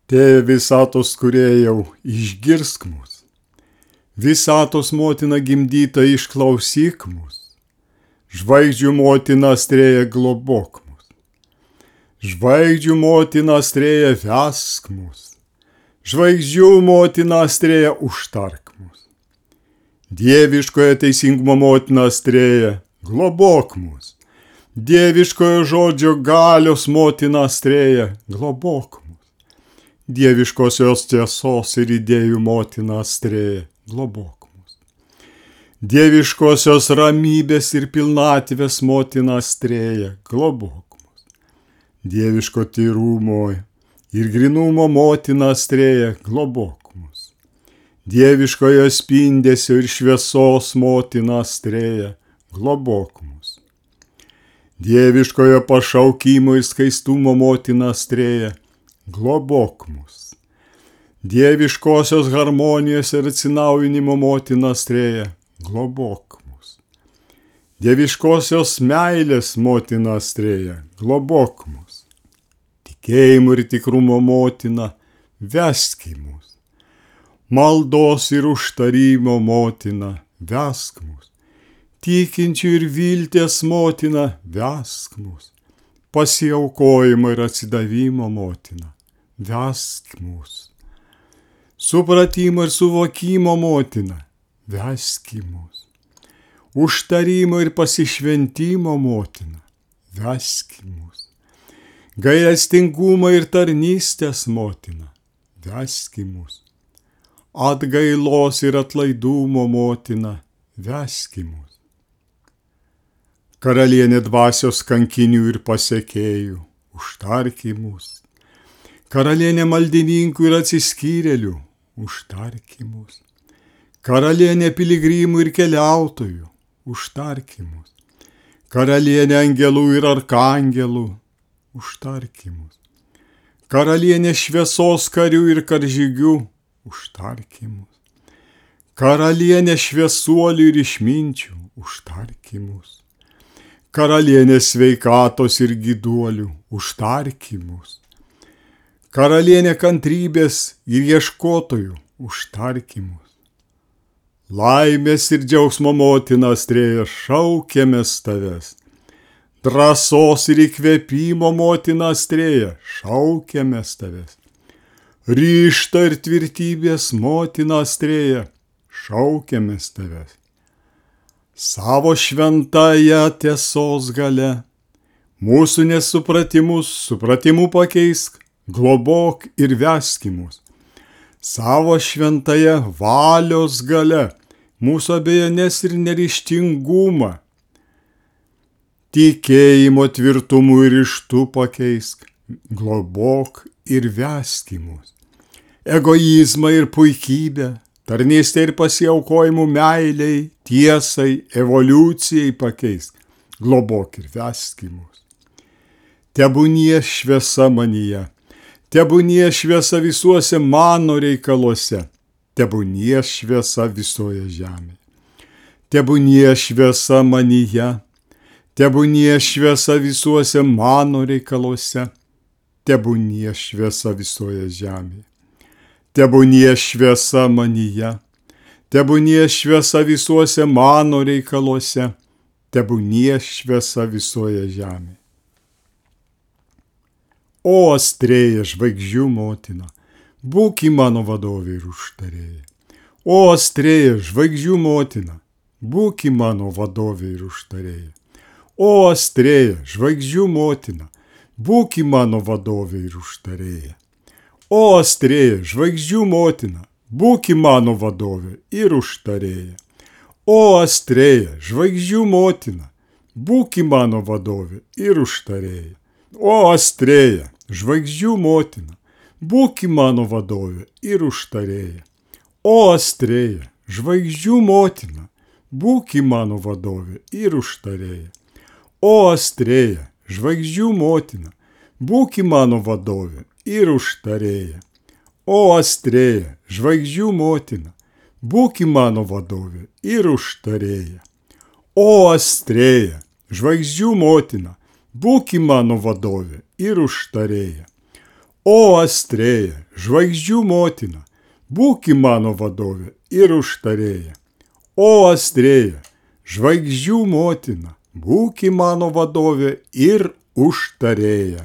Tėve visatos kūrėjau, išgirsk mus. Visatos motina gimdyta, išklausyk mus. Žvaigždžių motina Astrėja, globok mus. Žvaigždžių motina Astrėja, vesk mus. Žvaigždžių motina Astrėja, užtark mus. Dieviškojo teisingumo motina Astrėja, globok mus. Dieviškojo žodžio galios motina Astrėja, globok mus. Dieviškosios tiesos ir idėjų motina Astrėja, globok mus. Dieviškosios ramybės ir pilnatvės motina Astrėja, globok mus. Dieviško tyrumo ir grinumo motina Astrėja, globok mus. Dieviškojo spindesio ir šviesos motina Astrėja, globok mus. Dieviškojo pašaukimo ir skaistumo motina Astrėja, globok mus. Dieviškosios harmonijos ir atsinaujinimo motina Astrėja, globok mus. Dieviškosios meilės motina Astrėja, globok mus. Tikėjimo ir tikrumo motina, vesk mus. Maldos ir užtarimo motina, vesk mus. Tikinčių ir vilties motina, vesk mus. Pasiaukojimo ir atsidavimo motina, vesk mus. Supratimo ir suvokimo motina, vesk mus. Užtarimo ir pasišventimo motina, vesk mus. Gailestingumo ir tarnystės motina, vesk mus. Atgailos ir atlaidumo motina, vesk mus. Karalienė dvasios kankinių ir pasekėjų, užtark mus. Karalienė maldininkų ir atsiskyrėlių, užtark mus. Karalienė piligrimų ir keliautojų, užtark mus. Karalienė angelų ir arkangelų, užtark mus. Karalienė šviesos karių ir karžygių, užtark mus. Karalienė šviesuolių ir išminčių, užtark mus. Karalienė sveikatos ir gyduolių, užtark mus. Karalienė kantrybės ir ieškotojų, užtark mus. Laimės ir džiaugsmo motina Astrėja, šaukiamės tavęs. Drąsos ir įkvėpimo motina Astrėja, šaukiamės tavęs. Ryžto ir tvirtybės motina Astrėja, šaukiamės tavęs. Savo šventąją tiesos galia, mūsų nesupratimus supratimu pakeisk, globok ir vesk mus. Savo šventąją valios galia, mūsų abejonės ir neryžtingumą, tikėjimo tvirtumu ir ryžtu pakeisk, globok ir vesk mus. Egoizmą ir puikybę, tarnystę ir pasiaukojimų meiliai, tiesai, evoliucijai pakeisk, globok ir vesk mus. Tebūnie šviesa manyje, tebūnie šviesa visuose mano reikaluose, tebūnie šviesa visoje žemėje. Tebūnie šviesa manyje, tebūnie šviesa visuose mano reikaluose, tebūnie šviesa visoje žemėje. Tebūnie šviesa manyje, tebūnie šviesa visuose mano reikaluose, tebūnie šviesa visoje žemėje. O Astrėja, žvaigždžių motina, būk mano vadovė ir užtarėja. O Astrėja, žvaigždžių motina, būk mano vadovė ir užtarėja. O Astrėja, žvaigždžių motina, būk mano vadovė ir užtarėja. O Astrėja, žvaigždžių motina, būk mano vadovė ir užtarėja. O Astrėja, žvaigždžių motina, būk mano vadovė ir užtarėja. O Astrėja, žvaigždžių motina, būk mano vadovė ir užtarėja. O Astrėja, žvaigždžių motina, būk mano vadovė ir užtarėja. O Astrėja, žvaigždžių motina, būk mano vadovė ir užtarėja. O Astrėja, žvaigždžių motina, būk mano vadovė ir užtarėja. O Astrėja, žvaigždžių motina, būk mano vadovė ir užtarėja. O Astrėja, žvaigždžių motina, būki mano vadovė ir užtarėja. O Astrėja, žvaigždžių motina, būki mano vadovė ir užtarėja.